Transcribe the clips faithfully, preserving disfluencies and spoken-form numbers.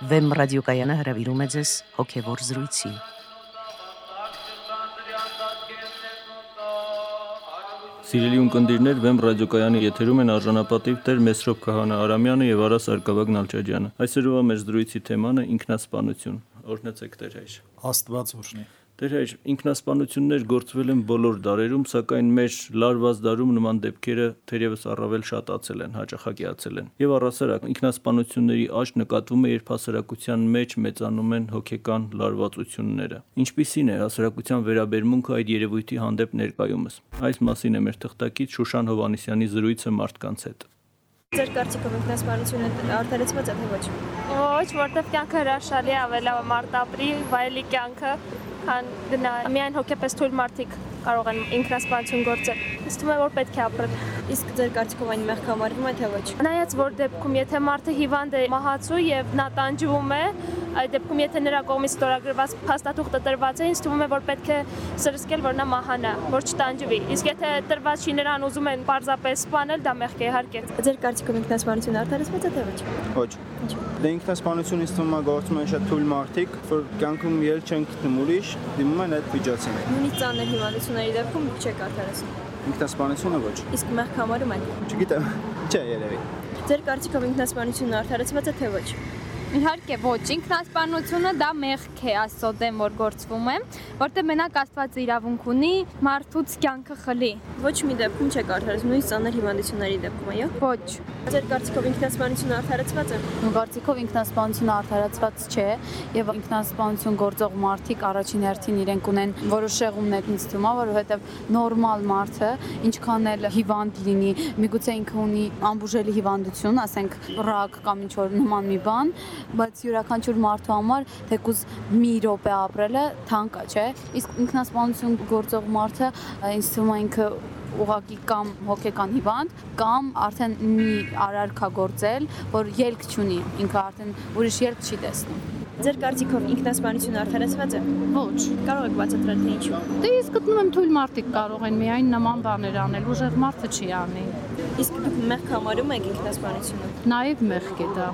Վեմ ռադիոկայանը հրավիրում է ձեզ հոգևոր զրույցի։ Սիրելի ունկնդիրներ, Վեմ ռադիոկայանի եթերում են արժանապատիվ Տեր Մեսրոպ Քահանա Արամյանը եւ Արա Սարգսակյան Նալչաջյանը։ Այսօրվա մեր զրույցի թեման է ինքնասպանություն։ Օրհնեցեք Տեր հայր։ Աստված օրհնի։ Տեր հայր, ինքնասպանություններ գործվել են բոլոր դարերում, սակայն մեր լարված դարում նման դեպքերը թերևս առավել շատացել են, հաճախակիացել են։ Եվ առասարակ ինքնասպանությունների աճ նկատվում է, երբ հասարակության մեջ մեծանում են հոգեկան լարվածությունները։ Ինչպիսին է հասարակության վերաբերմունքը այդ երևույթի հանդեպ ներկայումս։ Այս մասին է մեր թղթակից Շուշան Հովհաննիսյանի զրույցը մարդկանց հետ։ Ձեր կարծիքով ինքնասպանությունը արդարացված է թե ոչ։ Ոչ, որտեղ կյանքը հրաշալի է, ավելի մարտապրի, վայելի կյանքը, քան գնա միայն հոգեպես թույլ մարդիկ կարող են ինքնասպանություն գործել։ Ինձ թվում է, որ պետք է ապրել։ Իսկ ձեր կարծիքով այն մեղք համարվում է թե ոչ։ Նայած որ դեպքում, եթե մարդը հիվանդ է, մահացու եւ նա տանջվում է, այդ դեպքում եթե նրա կողմից ստորագրված փաստաթուղթը տրված է, ինձ թվում է, որ պետք է սրսկել, որ նա մահանա, որ չտանջվի։ Իսկ եթե տրված չի, նրան ուզում են պարզապես սպանել, դա մեղք է իհարկե։ Ձեր կարծիքով ինքնասպանությունը արդարացված է թե ոչ։ Ոչ։ Դե ինքնասպանությունը ինձ թվում է գործում են շատ թույլ մարդիկ, որ կյանքում ելք չեն գտնում ուրիշ, դիմում են այդ վիճակին։ Նույնիսկ ծանր հիվանդությունների դեպքում չեք արդարացնում։ Ինքնասպանությունը ոչ։ Իսկ մեղք համարում եք։ Չգիտեմ, չէ երևի։ Ձեր կարծիքով ինքնասպանությունը արդարացված է թե ոչ։ Իհարկե ոչ, ինքնասպանությունը դա մեղք է Աստծո դեմ, որ գործվում է, որտեղ մենակ Աստված իրավունք ունի մարդուց կյանքը խլի։ Ոչ մի դեպքում չեք արդարացնում, նույնիսկ ծանր հիվանդությունների դեպքում, այո։ Ոչ։ Ձեր կարծիքով ինքնասպանությունը արդարացված է։ Իմ կարծիքով ինքնասպանությունը արդարացված չէ, եւ ինքնասպանություն գործող մարդիկ առաջին հերթին իրենք ունեն որոշ շեղումներ, ինձ թվում է, որովհետեւ նորմալ մարդը ինչքան էլ հիվանդ լինի, միգուցե ինքը ունի անբուժելի հիվանդություն, ասենք ռակ կամ ինչ-որ նման մի բան, բայց յուրաքանչյուր մարդու համար թեկուզ մի րոպե ապրելը թանկ է, չէ՞։ Իսկ ինքնասպանություն գործող մարդը ինձ թվում է ինքը ուղղակի կամ հոգեկան հիվանդ, կամ արդեն մի արարքա գործել, որ ելք չունի, ինքը արդեն ուրիշ ելք չի տեսնում։ Ձեր կարծիքով ինքնասպանությունը արդարացված է։ Ոչ։ Կարող եք բացատրել թե ինչու։ Դե ես գտնում եմ թույլ մարդիկ կարող են միայն նման բաներ անել, ուժեղ մարդը չի անի։ Իսկ դուք մեղք համարում եք ինքնասպանությունը։ Նաև մեղք է դա։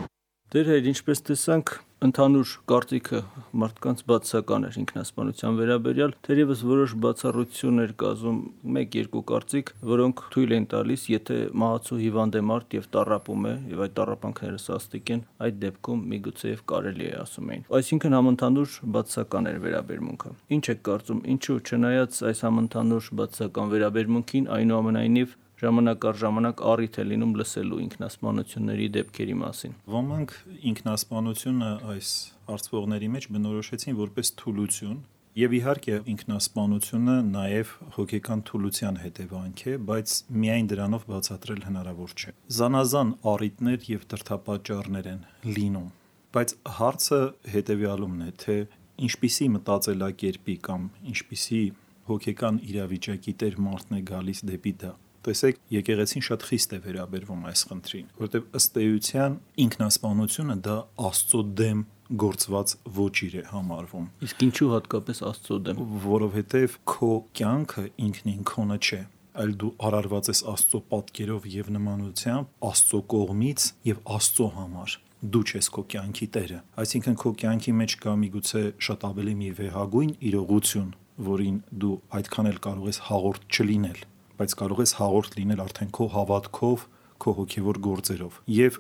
Դեր հայր, ինչպես տեսանք, ընդհանուր կարծիքը մարդկանց բացասական էր ինքնասպանության վերաբերյալ, թերևս որոշ բացառություններ կազում մեկ-երկու կարծիք, որոնք թույլ են տալիս, եթե մահացու հիվանդ է մարդ եւ տառապում է, եւ այդ տառապանքները սաստիկ են, այդ դեպքում միգուցեև կարելի է ասում էին։ Այսինքն համընդհանուր բացասական էր վերաբերմունքը։ Ինչ եք կարծում, ինչու չնայած այս համընդհանուր բացասական վերաբերմունքին, այնուամենայնիվ ժամանակ առ ժամանակ առիթ է լինում լսելու ինքնասպանությունների դեպքերի մասին։ Ոմանք ինքնասպանությունը այս արծվողների մեջ բնորոշեցին որպես թուլություն, եւ իհարկե ինքնասպանությունը նաեւ հոգեկան թուլության հետևանք է, բայց միայն դրանով բացատրել հնարավոր չէ։ Զանազան առիթներ եւ դրդապատճառներ են լինում, բայց հարցը հետեւյալումն է, թե ինչպիսի մտածելակերպի կամ ինչպիսի հոգեկան իրավիճակի տեր մարդն է գալիս դեպի դա։ Տեսեք, եկեղեցին շատ խիստ է վերաբերվում այս խնդրին, որտեղ ըստ էության ինքնասպանությունը դա Աստծո դեմ գործված ոճիր է համարվում։ Իսկ ինչու հատկապես Աստծո դեմ։ Որովհետև քո կյանքը ինքնին քոնը չէ, այլ դու արարված ես Աստծո պատկերով եւ նմանությամբ Աստծո կողմից եւ Աստծո համար։ Դու ես քո կյանքի տերը։ Այսինքն քո կյանքի մեջ կա միգուցե շատ ավելի մի վեհագույն իրողություն, որին դու այդքան էլ կարող ես հաղորդ չլինել, բայց կարող ես հաղորդ լինել արդեն քո հավատքով, քո հոգևոր գործերով։ Եվ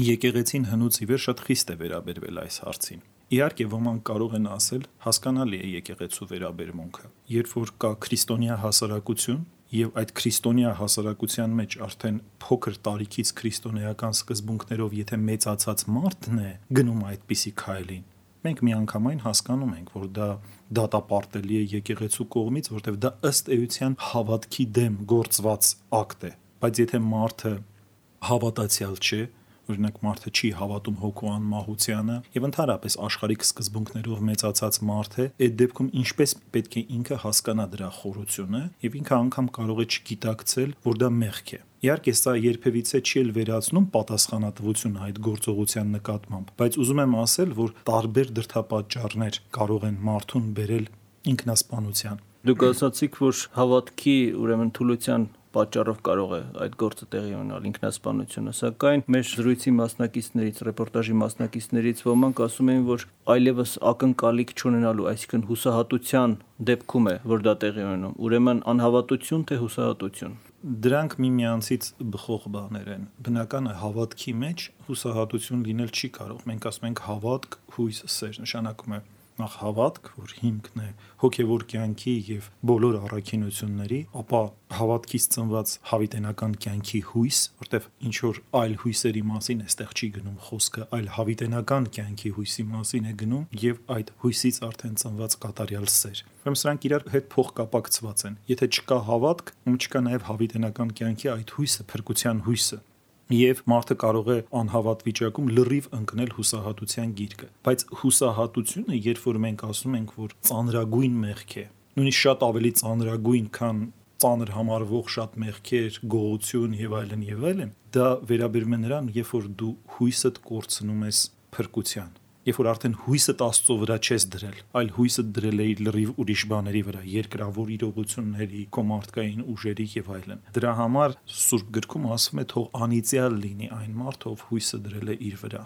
եկեղեցին հնուց ի վեր շատ խիստ է վերաբերվել այս հարցին։ Իհարկե ոմանք կարող են ասել, հասկանալի է եկեղեցու վերաբերմունքը։ Երբ որ կա քրիստոնյա հասարակություն, եւ այդ քրիստոնյա հասարակության մեջ արդեն փոքր տարիքից քրիստոնեական սկզբունքներով եթե մեծացած մարդն է գնում այդպիսի քայլին, մենք միանգամայն հասկանում ենք, որ դա դատապարտելի է եկեղեցու կողմից, որտեղ դա ըստ էության հավատքի դեմ գործված ակտ է։ Բայց եթե մարդը հավատացյալ չէ, օրինակ մարդը չի հավատում հոգու անմահությանը եւ ընդհանրապես աշխարհիկ սկզբունքներով մեծացած մարդ է, այդ դեպքում ինչպես պետք է ինքը հասկանա դրա խորությունը եւ ինքը անգամ կարող է չգիտակցել, որ դա մեղք է։ Իհարկե սա երբևիցե չի էլ վերացնում պատասխանատվությունը այդ գործողության նկատմամբ, բայց ուզում եմ ասել, որ տարբեր դրդապատճառներ կարող են մարդուն բերել ինքնասպանության։ Դուք ասացիք, որ հավատքի, ուրեմն թուլության պատճառով կարող է այդ գործը տեղի ունենալ, ինքնասպանությունը, սակայն մեր զրույցի մասնակիցներից, ռեպորտաժի մասնակիցներից ոմանք ասում էին, որ այլևս ակնկալիք չունենալու, այսինքն հուսահատության դեպքում է, որ դա տեղի ունենում, ուրեմն անհավատություն թե հուսահատություն։ Դրանք միմյանցից բխող բաներ են։ Բնական է հավատքի մեջ հուսահատություն լինել չի կարող։ Մենք ասում ենք հավատք, հույս, սեր, նշանակում է նախ հավատք, որ հիմքն է հոգևոր կյանքի եւ բոլոր առաքինությունների, ապա հավատքից ծնված հավիտենական կյանքի հույս, որտեվ ինչ որ այլ հույսերի մասին այստեղ չի գնում խոսքը, այլ հավիտենական կյանքի հույսի մասին է գնում եւ այդ հույսից արդեն ծնված կատարյալ սեր։ Ուրեմն սրանք իրար հետ փոխկապակցված են։ Եթե չկա հավատք, ում չկա նաեւ հավիտենական կյանքի այդ հույսը, փրկության հույսը, եւ մարդը կարող է անհավատ վիճակում լրիվ ընկնել հուսահատության գիրկը, բայց հուսահատությունը, երբ որ մենք ասում ենք, որ ծանրագույն մեղք է, նույնիսկ շատ ավելի ծանրագույն, քան ծանր համարվող շատ մեղքեր, գողություն եւ այլն եւ այլն, դա վերաբերում է նրան, երբ որ դու հույսդ կորցնում ես փրկության, երբ որ արդեն հույսդ Աստծո վրա չես դրել, այլ հույսդ դրել ես լրիվ ուրիշ բաների վրա, երկրավոր իրողությունների, քո մարդկային ուժերի եւ այլն։ Դրա համար Սուրբ գրքում ասվում է թող անիծյալ լինի այն մարդ, ով հույսը դրել է իր վրա։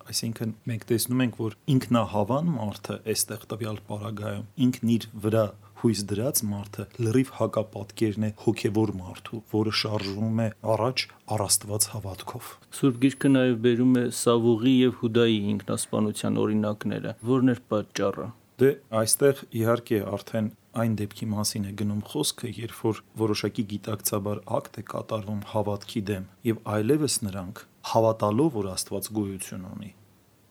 Այսինքն մենք տեսնում ենք, որ ինքնահավան մարդը այստեղ տվյալ պարագայում ինքն իր վրա հույս դրած մարդը լրիվ հակապատկերն է հոգևոր մարդու, որը շարժվում է առաջ առաստված հավատքով։ Սուրբ Գիրքը նաև բերում է Սավուղի եւ Հուդայի ինքնասպանության օրինակները, որն էր պատճառը։ Դե այստեղ իհարկե արդեն այն դեպքի մասին է գնում խոսքը, երբ որ որոշակի գիտակցաբար ակտ է կատարվում հավատքի դեմ եւ այլևս նրանք հավատալով, որ Աստված գոյություն ունի,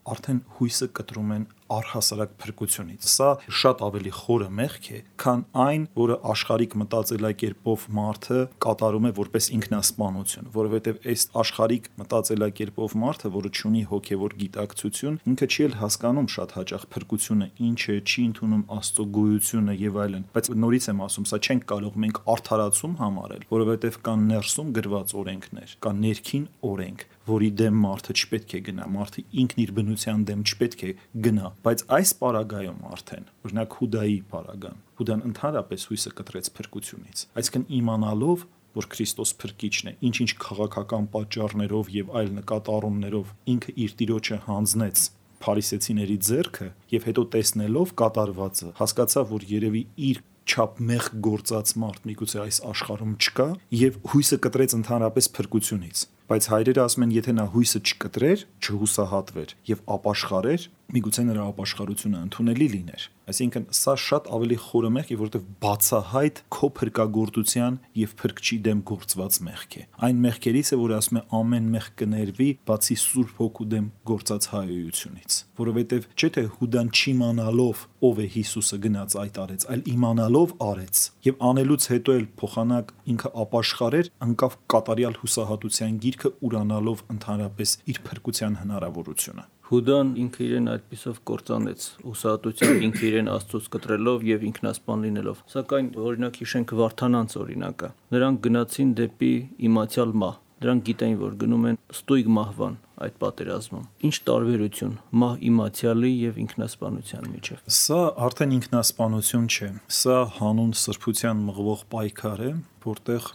արդեն հույսը կտրում են առհասարակ փրկությունից։ Սա շատ ավելի խորը մեղք է, քան այն, որը աշխարհիկ մտածելակերպով մարդը կատարում է որպես ինքնասպանություն, որովհետև այս աշխարհիկ մտածելակերպով մարդը, որը ունի հոգևոր գիտակցություն, ինքը չի էլ հասկանում շատ հաճախ փրկությունը ինչ է, չի ընդունում Աստծո գոյությունը եւ այլն։ Բայց նորից եմ ասում, սա չենք կարող մենք արդարացում համարել, որովհետև կան ներսում գրված օրենքներ, կան ներքին օրենք, որի դեմ մարդը չպետք է գնա, մարդը ինքն իր բնության դեմ չպետք է գնա, բայց այս պարագայում արդեն, օրինակ Հուդայի պարագան, Հուդան ընդհանրապես հույսը կտրեց փրկությունից, այսինքն իմանալով, որ Քրիստոս փրկիչն է, ինչ-ինչ քաղաքական պատճառներով եւ այլ նկատառումներով ինքը իր տիրոջը հանձնեց փարիսեցիների ձեռքը եւ հետո տեսնելով կատարվածը, հասկացավ, որ երևի իր չափ մեղ գործած մարդ միգուցե այս աշխարհում չկա եւ հույսը կտրեց ընդհանրապես փրկությունից։ Բայց հայրերը ասում են, եթե նա հույսը չկտրեր, չհուսահատվեր եւ ապաշխարեր, միգուցե նրա ապաշխարությունը ընդունելի լիներ։ Այսինքն սա շատ ավելի խորը մեղք է, որովհետեւ բացահայտ քո փրկagorցության եւ փրկչի դեմ գործված մեղք է։ Այն մեղքերից է, որ ասում է ամեն մեղք կներվի, բացի Սուրբ Հոգու դեմ գործած հայոյությունից, որովհետեւ չէ թե Հուդան չիմանալով ով է Հիսուսը գնաց այդ արեց, այլ իմանալով արեց եւ անելուց հետո էլ փոխանակ ինքը ապաշխարեր, անկավ կատարյալ հուսահատության գիրքը ուրանալով ընդհանրապես իր փրկության հնարավորությունը։ Հուդան ինքը իրեն այդպիսով կործանեց, հուսահատության ինքը իրեն Աստծոց կտրելով եւ ինքնասպան լինելով։ Սակայն օրինակ հիշենք Վարդանանց օրինակը։ Նրանք գնացին դեպի իմացյալ մահ։ Նրանք գիտեին, որ գնում են ստույգ մահվան այդ պատերազմում։ Ինչ տարբերություն մահ իմացյալի եւ ինքնասպանության միջեւ։ Սա արդեն ինքնասպանություն չէ։ Սա հանուն սրբության մղվող պայքար է, որտեղ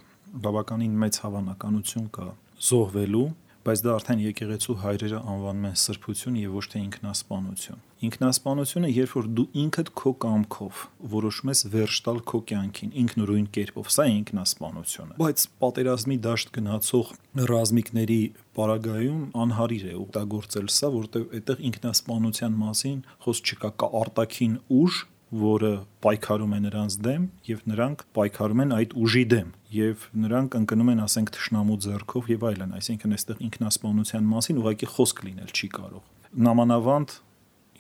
բավականին մեծ հավանականություն կա զոհվելու, բայց դա արդեն եկեղեցու հայրերը անվանում են սրբություն եւ ոչ թե ինքնասպանություն։ Ինքնասպանությունը, երբ որ դու ինքդ քո կամքով որոշում ես վերջ տալ քո կյանքին ինքնուրույն կերպով, սա է ինքնասպանությունը։ Բայց պատերազմի դաշտ գնացող ռազմիկների պարագայում անհարիր է օգտագործել սա, որտեղ այդտեղ ինքնասպանության մասին խոսք չկա, կա արտաքին ուժ, որը պայքարում է նրանց դեմ եւ նրանք պայքարում են այդ ուժի դեմ եւ նրանք ընկնում են, ասենք, թշնամու ձեռքով եւ այլն, այսինքն այստեղ ինքնասպանության մասին ուղղակի խոսք լինել չի կարող։ Նամանավանդ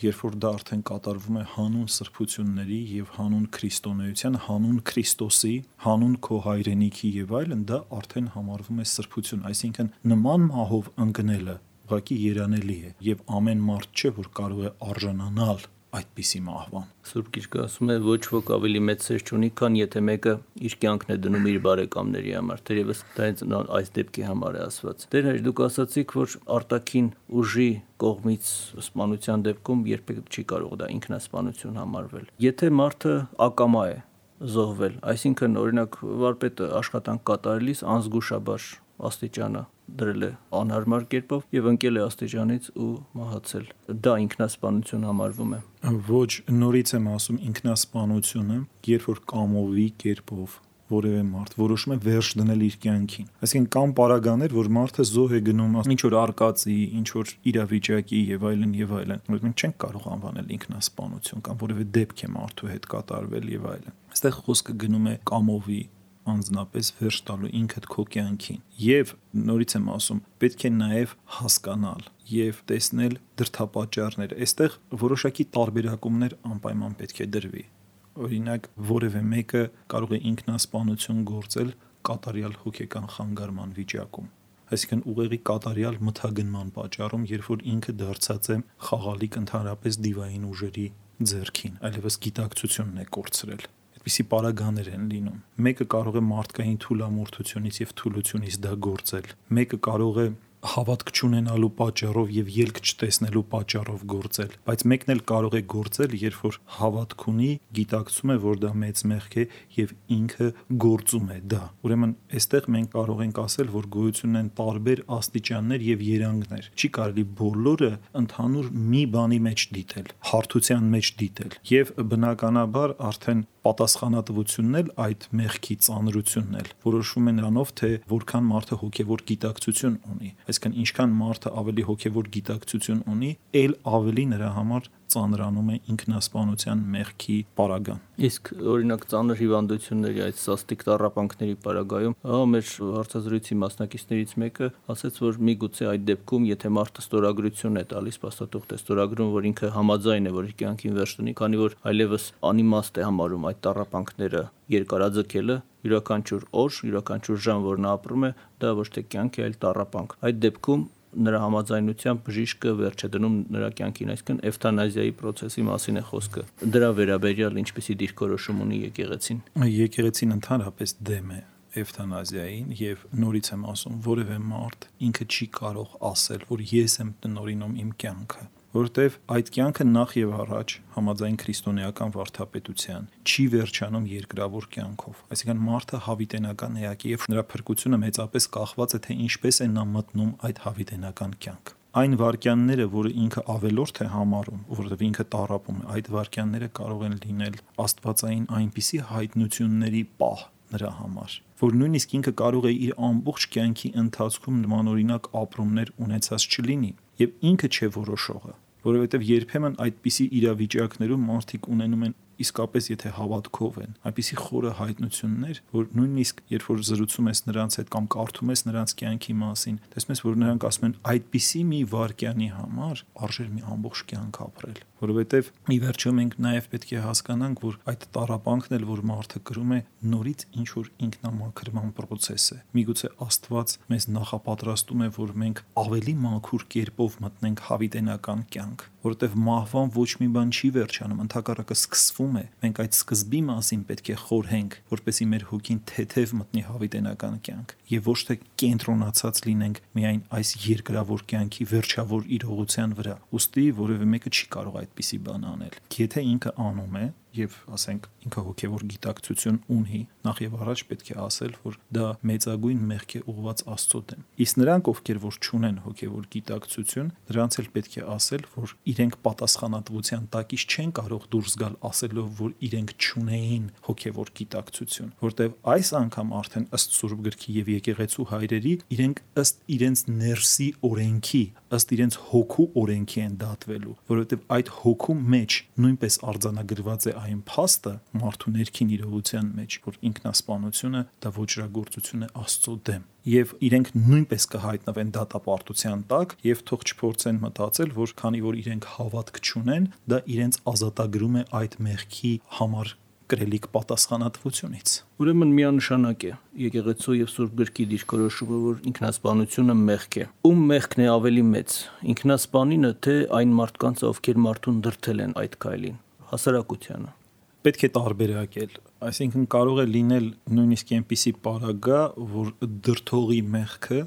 երբ որ դա արդեն կատարվում է հանուն սրբությունների եւ հանուն քրիստոնեության, հանուն Քրիստոսի, հանուն քո հայրենիքի եւ այլն, դա արդեն համարվում է սրբություն, այսինքն նման մահով ընկնելը ուղղակի երանելի է եւ ամեն մարդ չէ, որ կարող է արժանանալ այդպիսի մահվան։ Սուրբ Գիրքը ասում է ոչ ոք ավելի մեծ սեր չունի, քան եթե մեկը իր կյանքն է դնում իր բարեկամների համար, թերևս դա հենց այս դեպքի համար է ասված։ Տեր հայր, դուք ասացիք, որ արտաքին ուժի կողմից սպանության դեպքում երբեք չի կարող դա ինքնասպանություն համարվել։ Եթե մարդը ակամա է, զոհվել։ Այսինքն, օրինակ, վարպետը աշխատանք կատարելիս անզգուշաբար աստիճանը դրել է անհարմար կերպով եւ ընկել է աստիճանից ու մահացել։ Դա ինքնասպանություն համարվում է։ Ոչ, նորից եմ ասում, ինքնասպանությունը, երբ որ կամովի կերպով որևէ մարդ որոշում է վերջ դնել իր կյանքին։ Այսինքն կան պարագաներ, որ մարդը զոհ է գնում ինչ որ արկածի, ինչ որ իրավիճակի եւ այլն եւ այլն, որ մենք չենք կարող անվանել ինքնասպանություն կամ որևէ դեպք է մարդու հետ կատարվել եւ այլն։ Այստեղ խոսքը գնում է կամովի անձնապես վերջ տալու ինքդ քո կյանքին։ Եվ նորից եմ ասում, պետք է նաև հասկանալ եւ տեսնել դրդապատճառները։ Այստեղ որոշակի տարբերակումներ անպայման պետք է դրվի։ Օրինակ, որևէ մեկը կարող է ինքնասպանություն գործել կատարյալ հոգեկան խանգարման վիճակում։ Այսինքն ուղեղի կատարյալ մթագնման պատճառում, երբ որ ինքը դարձած է խաղալիք ընդհանրապես դիվային ուժերի ձեռքին, այլևս գիտակցությունն է կորցրել։ Այդպիսի պարագաներ են լինում։ Մեկը կարող է մարդկային թուլամորթությունից եւ թուլությունից դա գործել։ Մեկը կարող է հավատք չունենալու պատճառով եւ ելք չտեսնելու պատճառով գործել, բայց մեկն էլ կարող է գործել, երբ որ հավատք ունի, գիտակցում է, որ դա մեծ մեղք է եւ ինքը գործում է դա։ Ուրեմն, այստեղ մենք կարող ենք ասել, որ գոյություն են տարբեր աստիճաններ եւ երանգներ։ Չի կարելի բոլորը ընդհանուր մի բանի մեջ դիտել, հարթության մեջ դիտել եւ բնականաբար արդեն պատասխանատվությունն էլ այդ մեղքի ծանրությունն էլ որոշվում է նրանով, թե որքան մարդը հոգևոր գիտակցություն ունի։ Այսինքն ինչքան մարդը ավելի հոգևոր գիտակցություն ունի, այլ ավելի նրա համար ծանրանում է ինքնասպանության մեղքի պարագան։ Իսկ օրինակ ծանր հիվանդությունների այդ սաստիկ տառապանքների պարագայում, ահա մեր հարցազրույցի մասնակիցներից մեկը ասաց, որ միգուցե այդ դեպքում, եթե մարդը ստորագրություն է տալիս, փաստաթուղթ է ստորագրում, որ ինքը համաձայն է, որ իր կյանքին վերջ տունի, քանի որ այլևս անիմաստ է համարում այդ տառապանքները երկարաձգելը, յուրաքանչյուր օր, յուրաքանչյուր ժամ, որ նա ապրում է, դա ոչ թե կյանք է, այլ տառապանք։ Այդ դեպքում նրա համաձայնությամբ բժիշկը վերջ է դնում նրա կյանքին, այսինքն էվթանազիայի process-ի մասին է խոսքը։ Դրա վերաբերյալ ինչպիսի դիրքորոշում ունի եկեղեցին։ Եկեղեցին ընդհանրապես դեմ է էվթանազիային եւ նորից եմ ասում, որևէ մարդ ինքը չի կարող ասել, որ ես եմ տնօրինում իմ կյանքը, որտեվ այդ կյանքը նախ եւ առաջ համաձայն քրիստոնեական վարդապետության չի վերջանում երկրավոր կյանքով։ Այսինքն մարդը հավիտենական էակ է եւ նրա փրկությունը մեծապես կախված է, թե ինչպես է նա մտնում այդ հավիտենական կյանք։ Այն վարքյանները, որը ինքը ավելորդ է համարում, որովհետև ինքը տառապում է, այդ վարքյանները կարող են լինել աստվածային այնպիսի հայտնությունների պահ նրա համար, որ նույնիսկ ինքը կարող է իր ամբողջ կյանքի ընթացքում նմանօրինակ ապրումներ ունեցած չլինի, եւ ինքը չէ որոշողը, որովհետև երբեմն այդպիսի իրավիճակներում մարդիկ ունենում են իսկապես եթե հավատքով են, այնպիսի խորը հայտնություններ, որ նույնիսկ երբ որ զրուցում ես նրանց հետ կամ կարդում ես նրանց կյանքի մասին, տեսնում ես, որ նրանք ասում են այդպիսի մի վարքյանի համար արժեր մի ամբողջ կյանք ապրել, որովհետև ի վերջո մենք նաև պետք է հասկանանք, որ այդ տառապանքն էլ որ մարդը կրում է նորից ինչ որ ինքնամաքրման process է։ Միգուցե Աստված մեզ նախապատրաստում է, որ մենք ավելի մաքուր կերպով մտնենք հավիտենական կյանք, որովհետև մահվան ոչ մի բան չի վերջանում, ընդհակառակը սկսվում է։ Մենք այդ սկզբի մասին պետք է խորհենք, որպեսզի մեր հոգին թեթև մտնի հավիտենական կյանք եւ ոչ թե կենտրոնացած լինենք միայն այս երկրավոր կյանքի վերջավոր իրողության վրա։ Ոստի որևէ մեկը չի կարող այդպիսի բան անել։ Եթե ինքը անում է եւ ասենք ինքը հոգեվոր գիտակցություն ունի, նախ եւ առաջ պետք է ասել, որ դա մեծագույն մեղք է ուղղված Աստծո դեմ։ Իսկ նրանք, ովքեր որ չունեն հոգեվոր գիտակցություն, նրանց էլ պետք է ասել, որ իրենք պատասխանատվության տակից չեն կարող դուրս գալ ասելով, որ իրենք չունեին հոգեվոր գիտակցություն, որտեւ այս անգամ արդեն ըստ Սուրբ գրքի եւ եկեղեցու հայրերի, իրենք ըստ իրենց ներսի օրենքի, ըստ իրենց հոգու օրենքի են դատվելու, որովհետեւ այդ հոգու մեջ նույնպես արձանագրված է այն փաստը մարդու ներքին իրողության մեջ, որ ինքնասպանությունը դա ոչրագործություն է Աստծո դեմ, եւ իրենք նույնպես կհայտնվեն դատապարտության տակ եւ թող չփորձեն մտածել, որ քանի որ իրենք հավատք չունեն, դա իրենց ազատագրում է այդ մեղքի համար կրելիք պատասխանատվությունից։ Ուրեմն միանշանակ է եկեղեցու եւ Սուրբ գրքի դիրքորոշումը, որ ինքնասպանությունը մեղք է։ Ում մեղքն է ավելի մեծ՝ ինքնասպանինը, թե այն մարդկանց, ովքեր մարդուն դրդել են այդ քայլին, հասարակությանը։ Պետք է տարբերակել, այսինքն կարող է լինել նույնիսկ այնպիսի պարագա, որ դրդողի մեղքը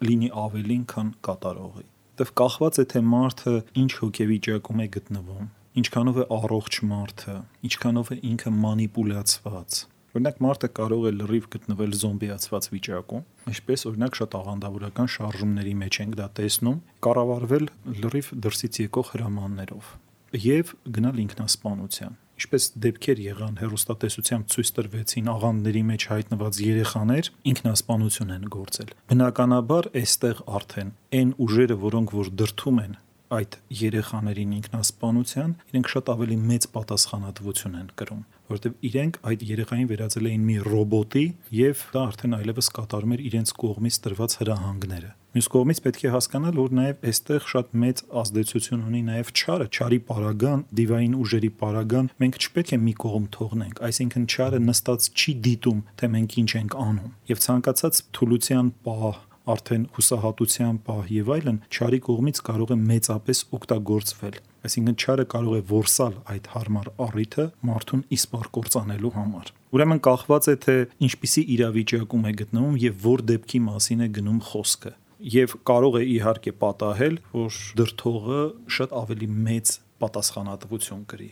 լինի ավելին, քան կատարողի։ Դեռ կախված է թե մարդը ինչ հոգեվիճակում է գտնվում, ինչքանով է առողջ մարդը, ինչքանով է ինքը մանիպուլյացված։ Օրինակ մարդը կարող է լրիվ գտնվել զոմբիացված վիճակում, ինչպես օրինակ շատ աղանդավորական շարժումների մեջ ենք դա տեսնում, կառավարվել լրիվ դրսից եկող հրամաններով եւ գնալ ինքնասպանության։ Ինչպես դեպքեր եղան հեռուստատեսությամբ ցույց տրվեցին աղանդների մեջ հայտնված երեխաներ ինքնասպանություն են գործել։ Բնականաբար այստեղ արդեն այն ուժերը, որոնք որ դրթում են այդ երեխաներին ինքնասպանության, իրենք շատ ավելի մեծ պատասխանատվություն են կրում, որովհետև իրենք այդ երեխային վերածել էին մի ռոբոտի եւ դա արդեն այլևս կատարում էր իրենց կողմից տրված հրահանգները։ Մյուս կողմից պետք է հասկանալ, որ նաև այստեղ շատ մեծ ազդեցություն ունի նաև չարը, չարի պարագան, դիվային ուժերի պարագան մենք չպետք է մի կողմ թողնենք, այսինքն չարը նստած չի դիտում, թե մենք ինչ ենք անում։ Եվ ցանկացած թուլության պահ, արդեն հուսահատության պահ եւ այլն չարի կողմից կարող է մեծապես օգտագործվել։ Այսինքն չարը կարող է որսալ այդ հարմար առիթը մարդուն իսպառ կործանելու համար։ Ուրեմն կախված է թե ինչպիսի իրավիճակում է գտնվում եւ որ դեպքի մասին է գնում խոսքը։ Եվ կարող է իհարկե պատահել, որ դրթողը շատ ավելի մեծ պատասխանատվություն կրի։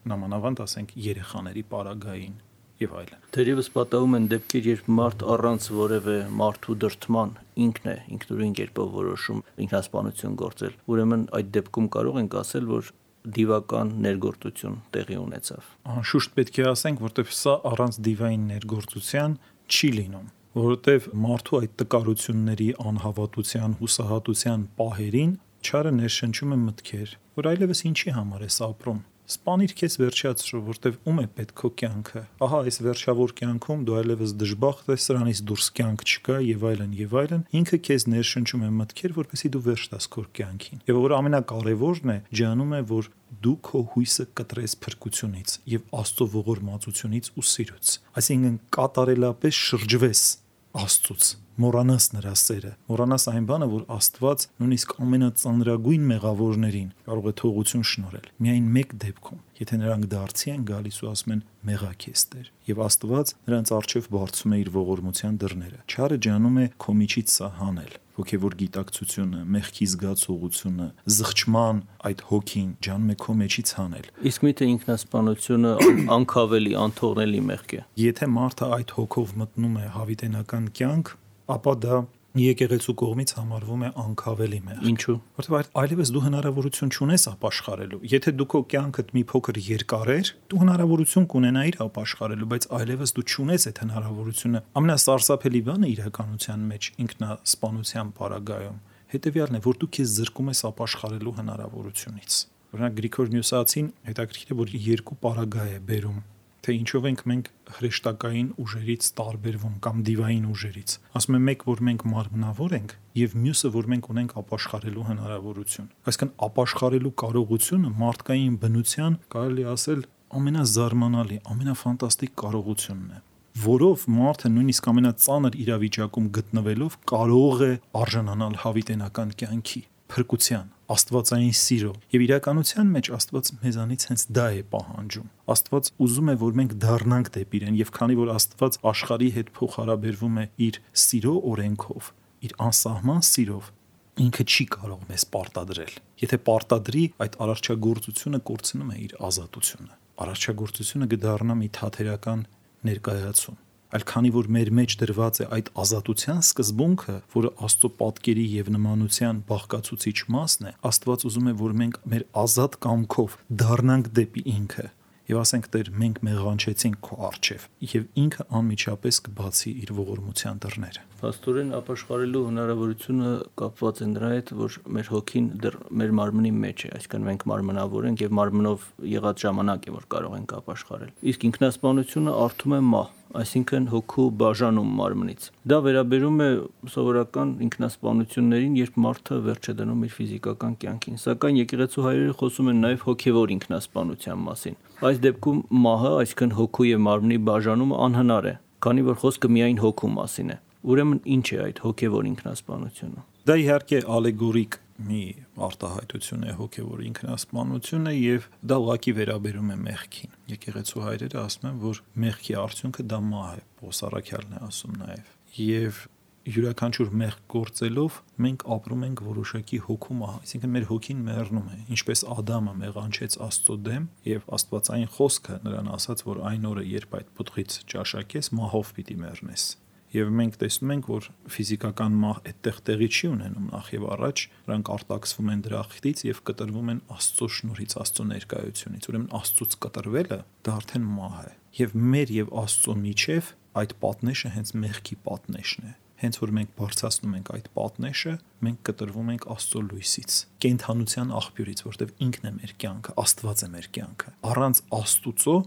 Նամանավանդ ասենք երեխաների պարագային եւ այլն։ Թերևս պատահում են դեպքեր, երբ մարդ առանց որևէ մարդու դրդման ինքն է ինքնուրույն կերպով որոշում ինքնասպանություն գործել։ Ուրեմն այդ դեպքում կարող ենք ասել, որ դիվական ներգործություն տեղի ունեցավ։ Անշուշտ պետք է ասենք, որտեղ սա առանց դիվային ներգործության չի լինում, որովհետև մարդու այդ տկարությունների, անհավատության, հուսահատության պահերին չարը ներշնչում է մտքեր, որ այլևս ինչի համար ես ապրում։ Սպանիր քեզ վերջացրու, որտեվ ում է պետք քո կյանքը։ Ահա այս վերջավոր կյանքում դու այլևս դժբախտ ես, սրանից դուրս կյանք չկա եւ այլն եւ այլն։ Ինքը քեզ ներշնչում է մտքեր, որպեսզի դու վերջ տաս քո կյանքին։ Եվ որ ամենակարևորն է, ջանում է, որ դու քո հույսը կտրես փրկությունից եւ Աստծո ողորմածությունից ու սիրուց։ Այսինքն կատարելապես շրջվես Աստծուց, մոռանաս նրա սերը, մոռանաս այն բանը, որ Աստված նույնիսկ ամենածանրագույն մեղավորներին կարող է թողություն շնորհել։ Միայն մեկ դեպքում, եթե նրանք դարձի են գալիս ու ասում են մեղա քեզ Տեր, եւ Աստված նրանց առջև բարձում է իր ողորմության դռները։ Չարը ջանում է քո միջից սա հանել։ Հոգևոր գիտակցությունը, մեղքի զգացողությունը, զղջման այդ հոգին ջանում է քո մեջից հանել։ Իսկ միթե ինքնասպանությունը անքավելի, անթողնելի մեղք է։ Եթե մարդը այդ հոգով մտնում է հավիտենական կյանք, ապա դա եկեղեցու կողմից համարվում է անքավելի մեղք։ Ինչու՞։ Որտեղ այլևս դու հնարավորություն չունես ապաշխարելու։ Եթե դու քո կյանքդ մի փոքր երկար էր, դու հնարավորություն կունենայիր ապաշխարելու, բայց այլևս դու չունես այդ հնարավորությունը։ Ամենասարսափելի բանը իրականության մեջ ինքնասպանության պարագայում հետեւյալն է, որ դու քեզ զրկում ես ապաշխարելու հնարավորությունից։ Օրինակ Գրիգոր Նյուսացին հետաքրքիր է, որ երկու պարագա է բերում, թե ինչով ենք մենք հրեշտակային ուժերից տարբերվում կամ դիվային ուժերից։ Ասում է մեկ, որ մենք մարմնավոր ենք, եւ մյուսը, որ մենք ունենք ապաշխարելու հնարավորություն։ Այսինքն ապաշխարելու կարողությունը մարդկային բնության, կարելի ասել, ամենազարմանալի, ամենաֆանտաստիկ կարողությունն է, որով մարդը նույնիսկ ամենածանր իրավիճակում գտնվելով կարող է արժանանալ հավիտենական կյանքի, փրկության, աստվածային սիրո։ Եվ իրականության մեջ Աստված մեզանից հենց դա է պահանջում։ Աստված ուզում է, որ մենք դառնանք դեպի իրեն, եւ քանի որ Աստված աշխարհի հետ փոխհարաբերվում է իր սիրո օրենքով, իր անսահման սիրով, ինքը չի կարող մեզ պարտադրել։ Եթե պարտադրի, այդ արարչագործությունը կորցնում է իր ազատությունը։ Արարչագործությունը կդառնա մի թաթերական ներկայացում։ Այլ քանի որ մեր մեջ դրված է այդ ազատության սկզբունքը, որը Աստծո պատկերի եւ նմանության բաղկացուցիչ մասն է, Աստված ուզում է, որ մենք մեր ազատ կամքով դառնանք դեպի ինքը եւ ասենք Տեր, մենք մեղանչեցինք քո առջև, եւ ինքը անմիջապես կբացի իր ողորմության դռները։ Փաստորեն ապաշխարելու հնարավորությունը կապված է նրա հետ, որ մեր հոգին դեռ մեր մարմնի մեջ է, այսինքն մենք մարմնավոր ենք եւ մարմնով եղած ժամանակ է, որ կարող ենք ապաշխարել։ Իսկ ինքնասպանությունը արթում է մահ, այսինքն հոգու բաժանում մարմնից։ Դա վերաբերում է սովորական ինքնասպանություններին, երբ մարդը վերջ է դնում իր ֆիզիկական կյանքին, սակայն եկեղեցու հայրերը խոսում են նաև հոգևոր ինքնասպանության մասին։ Այս դեպքում մահը, այսինքն հոգու եւ մարմնի բաժանումը անհնար է, քանի որ խոսքը միայն հոգու մասին է։ Ուրեմն ինչ է այդ հոգևոր ինքնասպանությունը։ Դա իհարկե ալեգորիկ մի արտահայտություն է հոգևոր ինքնասպանությունը եւ դա ուղղակի վերաբերում է մեղքին։ Եկեղեցու հայրերը ասում են, որ մեղքի արդյունքը դա մահ է, Պողոս առաքյալն է ասում նաեւ։ Եվ յուրաքանչյուր մեղք գործելով մենք ապրում ենք որոշակի հոգու մահ, այսինքն մեր հոգին մեռնում է, ինչպես Ադամը մեղանչեց Աստծո դեմ եւ Աստվածային խոսքը նրան ասաց, որ այն օրը, երբ այդ պտղից ճաշակես, մահով պիտի մեռնես։ Եվ մենք տեսնում ենք, որ ֆիզիկական մահ այդտեղ տեղի չի ունենում նախ եւ առաջ, նրանք արտաքսվում են դրախտից եւ կտրվում են Աստծո շնորհից, Աստծո ներկայությունից։ Ուրեմն Աստծոց կտրվելը դա արդեն մահ է։ Եվ մեր եւ Աստծո միջև այդ պատնեշը հենց մեղքի պատնեշն է։ Հենց որ մենք բարձրացնում ենք այդ պատնեշը, մենք կտրվում ենք Աստծո լույսից, կենթանության աղբյուրից, որտեղ ինքն է մեր կյանքը, Աստված է մեր կյանքը։ Առանց Աստուծո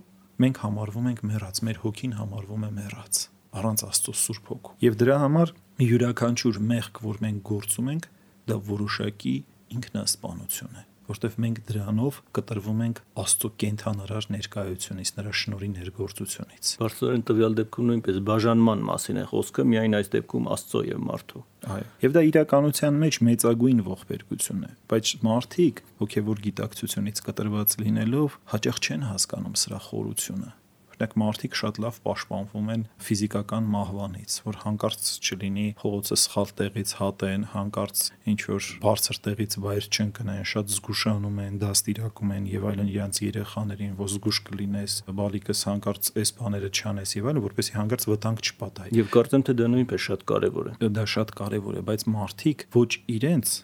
մենք համարվում ենք մեռած, մեր հոգին համարվում է մեռած, առանց Աստծո Սուրբ Հոգու։ Եվ դրա համար յուրաքանչյուր մեղք, որ մենք գործում ենք, դա որոշակի ինքնասպանություն է, որտեղ մենք դրանով կտրվում ենք Աստծո կենթանարար ներկայությունից, նրա շնորհի ներգործությունից։ Բարձրորեն տվյալ դեպքում նույնպես բաժանման մասին է խոսքը, միայն այս դեպքում Աստծո եւ մարդու։ Այո։ Եվ դա իրականության մեջ մեծագույն ողբերգություն է, բայց մարդիկ հոգևոր գիտակցությունից կտրված լինելով հաճախ չեն հասկանում սրա խորությունը։ Օրինակ մարդիկ շատ լավ պաշտպանվում են ֆիզիկական մահվանից, որ հանկարծ չլինի փողոցը սխալ տեղից հատեն, հանկարծ ինչ որ բարձր տեղից վայր չընկնեն, շատ զգուշանում են, դաստիարակում են եւ այլն իրենց երեխաներին, որ զգուշ կլինես, բալիկս հանկարծ այս բաները չանես եւ այլն, որպեսզի հանկարծ վտանգ չպատահի։ Եվ կարծեմ թե դա նույնպես շատ կարեւոր է։ Դա շատ կարեւոր է, բայց մարդիկ ոչ իրենց,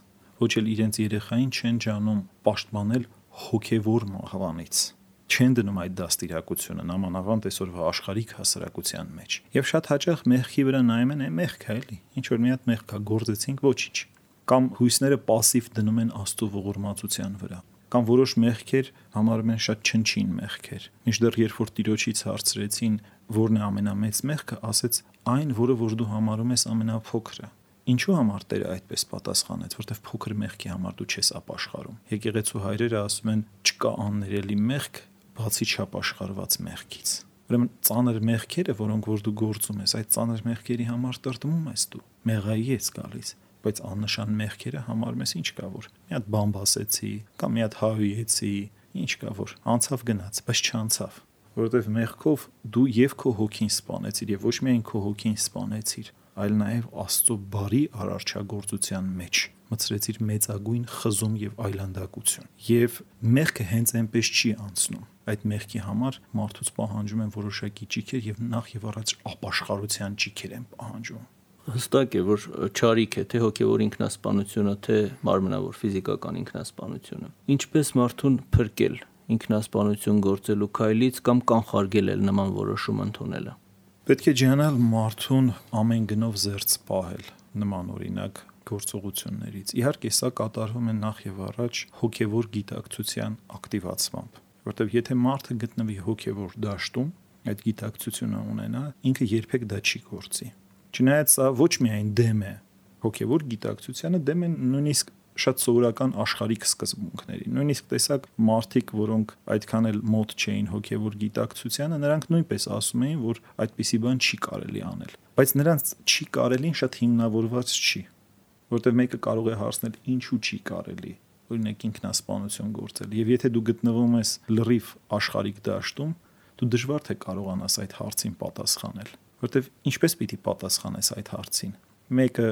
ոչ էլ իրենց երեխային չեն ջանում պաշտպանել հոգևոր մահվանից, չեն դնում այդ դաստիարակությունը նամանավանդ այսօրվա աշխարհիկ հասարակության մեջ։ Եվ շատ հաճախ մեղքի վրա նայում են, է մեղք է էլի, ինչ որ մի հատ մեղք կա, գործեցինք, ոչինչ։ Կամ հույսները пассив դնում են Աստծո ողորմածության վրա։ Կամ որոշ մեղքեր համարում են շատ չնչին մեղքեր։ Մինչդեռ երբ որ Տիրոջից հարցրեցին, որն է ամենամեծ մեղքը, ասեց այն, որը որ դու համարում ես ամենափոքրը։ Ինչու համար Տերը այդպես պատասխանեց, որտեվ փոքր մեղքի համար դու չես ապաշխարում։ Եկեղեցու հայրերը ասում են, չկա աններելի մեղք, բացի չապաշխարված մեղքից։ Ուրեմն ծանր մեղքերը, որոնք որ դու գործում ես, այդ ծանր մեղքերի համար տրտմում ես դու, մեղայի ես գալիս, բայց աննշան մեղքերը համարում ես ինչ կա որ։ Մի հատ բան բասեցի, կամ մի հատ հավիեցի, ինչ կա որ, անցավ գնաց, բայց չանցավ, որովհետև մեղքով դու եւ քո հոգին սպանեցիր եւ ոչ միայն քո հոգին սպանեցիր, այլ նաեւ Աստծո բարի արարչագործության մեջ մցրեցիր մեծագույն խզում եւ այլանդակություն։ Եվ մեղքը հենց այնպես չի անցնում։ Այդ մեղքի համար մարդուց պահանջում են որոշակի ճիքեր եւ նախ եւ առաջ ապաշխարության ճիքեր են պահանջում։ Հստակ է, որ չարիք է թե հոգևոր ինքնասպանությունը, թե մարմնավոր ֆիզիկական ինքնասպանությունը։ Ինչպես մարդուն փրկել ինքնասպանություն գործելու քայլից կամ կանխարգել նման որոշում ընդունելը։ Պետք է ջանալ մարդուն ամեն գնով զերծ պահել նման օրինակ գործողություններից։ Իհարկե, սա կատարվում է նախ եւ առաջ հոգևոր գիտակցության ակտիվացմամբ, որտեղ եթե մարդը գտնվի հոգևոր դաշտում, այդ գիտակցությունը ունենա, ինքը երբեք դա չի գործի։ Չնայած սա ոչ միայն դեմ է հոգևոր գիտակցությանը, դեմ է նույնիսկ շատ սովորական աշխարհիկ սկզբունքների։ Նույնիսկ տեսակ մարդիկ, որոնք այդքան էլ մոտ չէին հոգևոր գիտակցությանը, նրանք նույնպես ասում էին, որ այդպիսի բան չի կարելի անել։ Բայց նրանց չի կարելին շատ հիմնավորված չի, որտեղ մեկը կարող է հարցնել ինչու չի կարելի, օրինակ ինքնասպանություն գործել։ Եվ եթե դու գտնվում ես լրիվ աշխարհիկ դաշտում, դու դժվար թե կարողանաս այդ հարցին պատասխանել, որտեղ ինչպես պիտի պատասխանես այդ հարցին։ Մեկը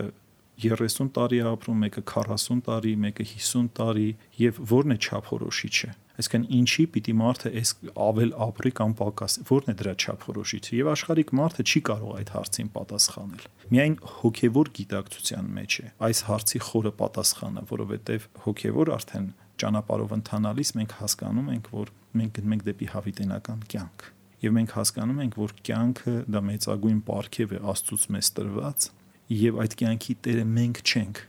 երեսուն տարի է ապրում, մեկը քառասուն տարի, մեկը հիսուն տարի, եւ որն է չափորոշիչը։ Այսինքն ինչի պիտի մարդը այս ավել ապրի կամ պակաս, որն է դրա չափորոշիչը։ Եվ աշխարհիկ մարդը չի կարող այդ հարցին պատասխանել։ Միայն հոգևոր գիտակցության մեջ է այս հարցի խորը պատասխանը, որովհետեւ հոգևոր արդեն ճանապարհով ընթանալիս մենք հասկանում ենք, որ մենք գնում ենք դեպի հավիտենական կյանք։ Եվ մենք հասկանում ենք, որ կյանքը դա մեծագույն պարգև է Աստծուց մեզ տրված, եւ այդ կյանքի տերը մենք չենք,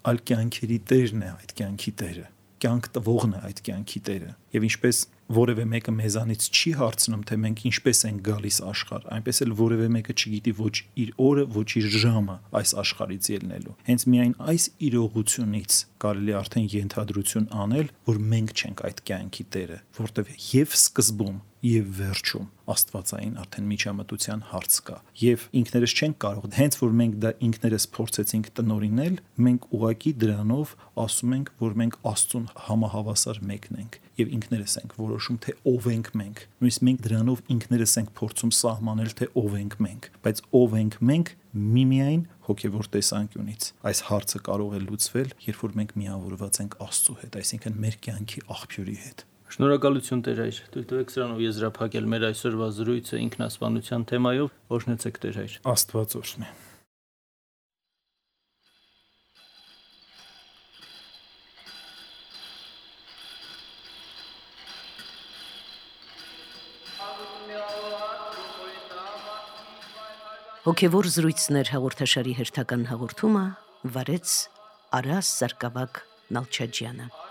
այլ կյանքերի տերն է այդ կյանքի տերը, կյանք տվողն է այդ կյանքի տերը։ Եվ ինչպես որևէ մեկը մեզանից չի հարցնում, թե մենք ինչպես ենք գալիս աշխարհ, այնպես էլ որևէ մեկը չգիտի ոչ իր օրը, ոչ իր ժամը այս աշխարհից ելնելու։ Հենց միայն այս իրողությունից կարելի արդեն ենթադրություն անել, որ մենք չենք այդ կյանքի տերը, որտեղ եւ սկզբում եւ վերջում աստվածային արդեն միջամտության հարց կա եւ ինքներս չենք կարող, հենց որ մենք դա ինքներս փորձեցինք տնորինել, մենք ուղակի դրանով ասում ենք, որ մենք Աստծուն համահավասար մեկն ենք եւ ինքներս ենք որոշում, թե ով ենք մենք։ Նույնիսկ մենք դրանով ինքներս ենք փորձում սահմանել, թե ով ենք մենք, բայց ով ենք մենք միմիայն հոգևոր տեսանկյունից։ Այս հարցը կարող է լուծվել, երբ որ մենք միավորված ենք Աստծո հետ, այսինքն մեր կյանքի աղբյուրի հետ։ Շնորհակալություն Տեր Հայր, թույլ տվեք սրանով եզրափակել մեր այսօրվա զրույցը ինքնասպանության թեմայով, օրհնեցեք Տեր Հայր։ Աստված օրհնի։ Հոգևոր զրույցներ հաղորդաշարի հերթական հաղորդումը վարեց Արաս Սարգսակ Նալչաջյանը։